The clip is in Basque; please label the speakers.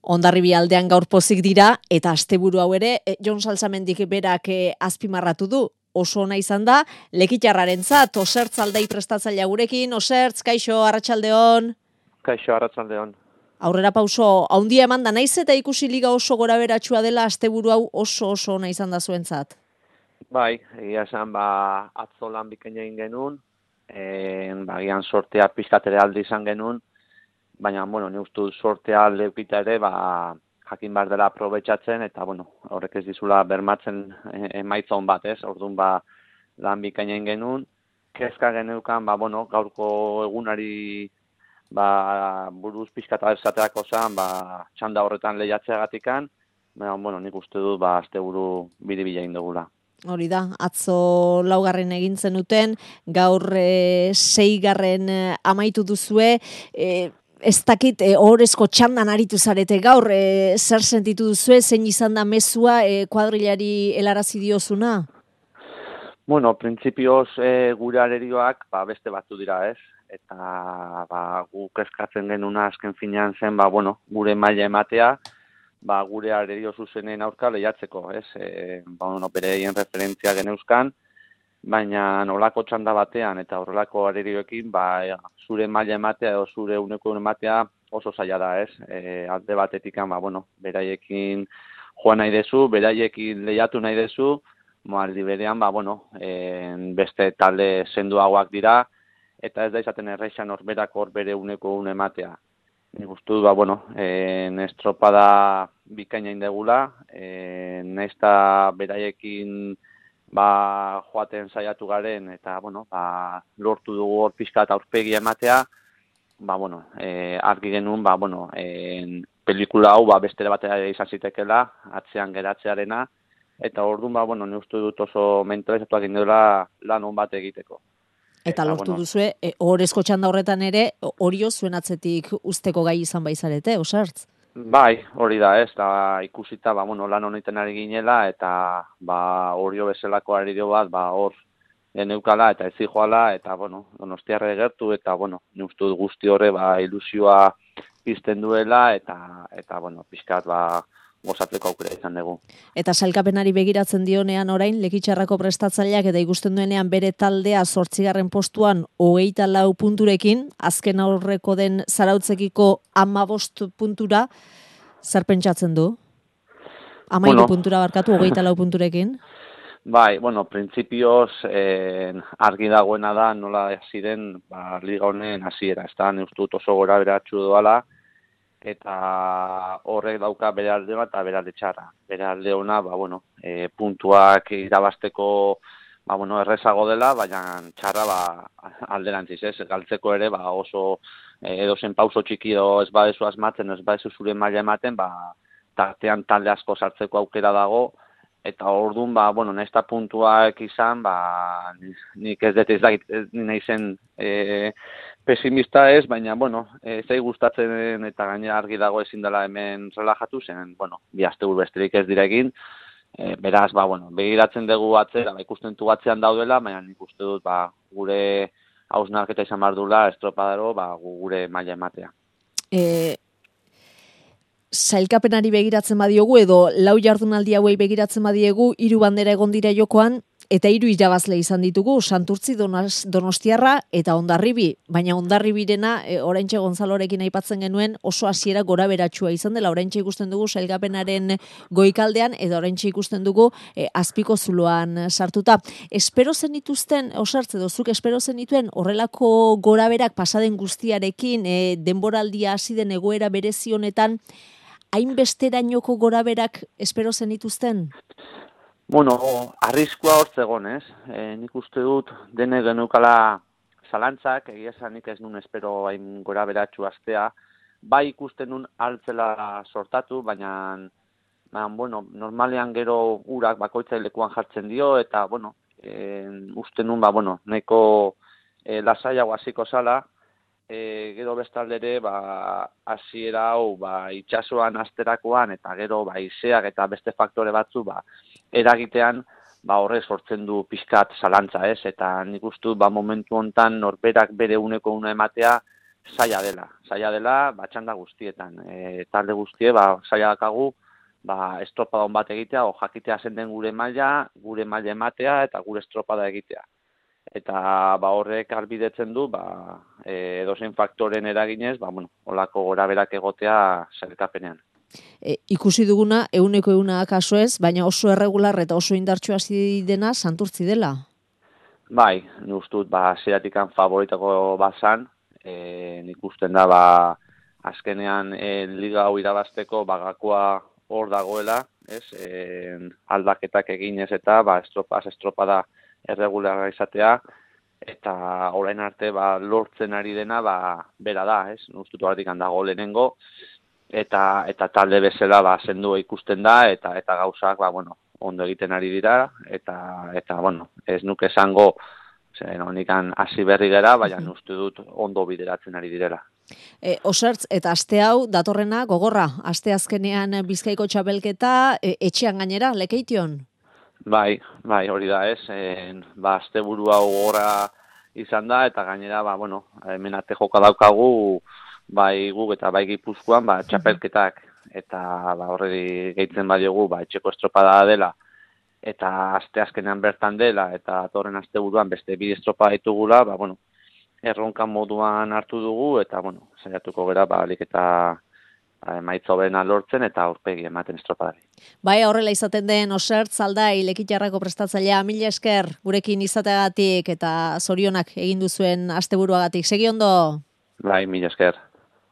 Speaker 1: Hondarribi aldean gaur pozik dira, eta asteburu hau ere, Jon Salsamendik berak azpimarratu du. Oso ona izan da, Lekitarrarentzat, Osertz aldei prestatzailea gurekin. Osertz, kaixo, arratsaldeon.
Speaker 2: Kaixo, arratsaldeon.
Speaker 1: Aurrera pauso, haundia eman da, naiz eta ikusi liga oso goraberatsua dela, asteburu hau oso ona izan da zuentzat.
Speaker 2: Bai, egia esan, atzo lan bikaina egin genuen, gian sortea pizkatere alde izan genuen, baina, ni uste sortea leukita ere, jakin behar dela aprobetxatzen, eta, horrek ez dizula bermatzen emaitza hon bat, ez? Orduan, lan bikaina egin genuen, kezka geneukan, gaurko egunari buruz pizkata esateako zen, txanda horretan lehiatzeagatikan, baina, nik uste dut, asteburu biribila egin dugula.
Speaker 1: Hori da, atzo 4. egin zenuten, gaur 6. amaitu duzue, ez dakit ohorezko txandan aritu zarete gaur, zer sentitu duzue, zein izan da mezua kuadrilari helarazi diozuna?
Speaker 2: Printzipioz gure arerioak beste batzu dira, ez? Eta guk eskatzen genuna azken finean zen, gure maila ematea, gure arerio zuzenen aurka lehiatzeko, ez? Bereien referentzia geneuzkan, baina nolako txanda batean eta horrelako arerioekin, zure maila ematea edo zure uneko ematea oso zaila da, ez? Alde batetik, beraiekin joan nahi dezu, beraiekin lehiatu nahi dezu, aldi berean, beste talde senduagoak dira, eta ez da izaten errexan horberak hor bere uneko ematea. Nik uste dut, estropada bikaina indegula, naizta beraiekin joaten saiatu garen, eta, lortu dugu hor pixka eta aurpegia ematea, argi genuen, pelikula hau bestera batera izan zitekela, atzean geratzearena, eta orduan, nik uste dut oso mentalizatuak indela lan hon bat egiteko.
Speaker 1: Eta lortu duzue, ohorezko txanda horretan ere, Orio zuen atzetik usteko gai izan baizarete, Osertz?
Speaker 2: Bai, hori da, ez, da ikusita, lan honetan ari ginela, eta Orio bezalako arerio bat, hor geneukala eta ez zijoala, eta, Donostiarra gertu, eta, nik uste dut guzti horre, ilusioa pizten duela, eta pixkat, gozatzeko aukera izan dugu.
Speaker 1: Eta sailkapenari begiratzen dionean orain, Lekitarrako prestatzaileak eta ikusten duenean bere taldea 8. postuan 24 punturekin, azken aurreko den Zarautzekiko 15 puntura, zer pentsatzen du? 12 puntura barkatu, 24 punturekin?
Speaker 2: Bai, printzipioz argi dagoena da nola ziren liga honen hasiera, ez da, neuztut oso gora beratxu doala, eta horrek dauka bere alde bat eta bere alde txarra. Bere alde ona, puntuak irabasteko errezago dela, baina txarra alderantziz, ez? Galtzeko ere oso edozen pauso txiki ez badezu asmatzen, ez badezu zure maila ematen, tartean talde asko sartzeko aukera dago, eta orduan, nahiz eta puntuak izan, nik ez dut nahi zen pesimista ez, baina, zai gustatzen eta gainera argi dago ezin dela hemen relajatu zen, bi asteburu besterik ez direkin, beraz, begiratzen dugu atzera, ikusten du atzean daudela, baina nik uste dut, gure hausnarketa izan behar dula, estropadaro, gure maila ematea.
Speaker 1: Sailkapenari begiratzen badiogu edo 4 jardunaldi hauei begiratzen badiegu 3 bandera egon dira jokoan eta 3 irabazle izan ditugu, Santurtzi, Donostiarra eta Hondarribi, baina Hondarribirena oraintxe Gonzalorekin aipatzen genuen oso hasiera goraberatsua izan dela, oraintxe ikusten dugu sailkapenaren goikaldean eta oraintxe ikusten dugu azpiko zuloan sartuta. Espero zenituzten, Osertz edo zuk espero zenituen horrelako goraberak pasaden guztiarekin, denboraldia hasi den egoera berezi honetan, hainbesterainoko goraberak espero zenituzten?
Speaker 2: Arriskua hor zegoen, ez? Nik uste dut dene geneukala zalantzak, egia esan nik ez nun espero hain goraberatxu astea, bai ikusten nun altzela sortatu, baina, normalean gero urak bakoitzailekoan jartzen dio, eta, uste nun, neko lasaiago hasiko zala, gero bestaldere hasiera hau itsasoan asterakoan eta gero izeak eta beste faktore batzu eragitean horrek sortzen du pixkat zalantza, ez? Eta nik uste dut momentu hontan norberak bere uneko ematea zaila dela, txanda guztietan. Talde guztie, zaila dakagu, estropada on bat egitea, o jakitea zen den gure maila ematea eta gure estropada egitea. Eta horrek albidetzen du, edozein faktoren eraginez, holako goraberak egotea sailkapenean.
Speaker 1: Ikusi duguna, 100% kaso ez, baina oso erregular eta oso indartsu hasi dena Santurtzi dela.
Speaker 2: Bai, nik uste dut, zeratikan favoritako bazan, nik usten da, azkenean liga hau irabazteko gakoa hor dagoela, ez? Aldaketak eginez eta estropada erregularra izatea, eta orain arte lortzen ari dena bera da, ez? Nik uste dut horretik dago lehenengo, eta talde bezala zendu ikusten da, eta gauzak ondo egiten ari dira, eta ez nuke esango, honikan hasi berri gara, baina uste dut ondo bideratzen ari direla.
Speaker 1: Osertz, eta aste hau datorrena gogorra, aste azkenean Bizkaiko txapelketa, etxean gainera, Lekeition?
Speaker 2: Bai, hori da ez, aste buru hau gogorra izan da, eta gainera, hemen ate joka daukagu, bai guk eta bai Gipuzkoan, txapelketak, eta horreri gehitzen badiogu, etxeko estropada dela, eta aste azkenean bertan dela, eta datorren aste buruan beste 2 estropada ditugula, erronkan moduan hartu dugu, eta saiatuko gera, alik eta emaitza hoberena lortzen, eta aurpegi ematen estropadari.
Speaker 1: Bai, horrela izaten den Osertz Aldai Lekitarrako prestatzailea, mila esker gurekin izateagatik eta zorionak egin duzuen asteburuagatik. Segi ondo?
Speaker 2: Bai, mila esker.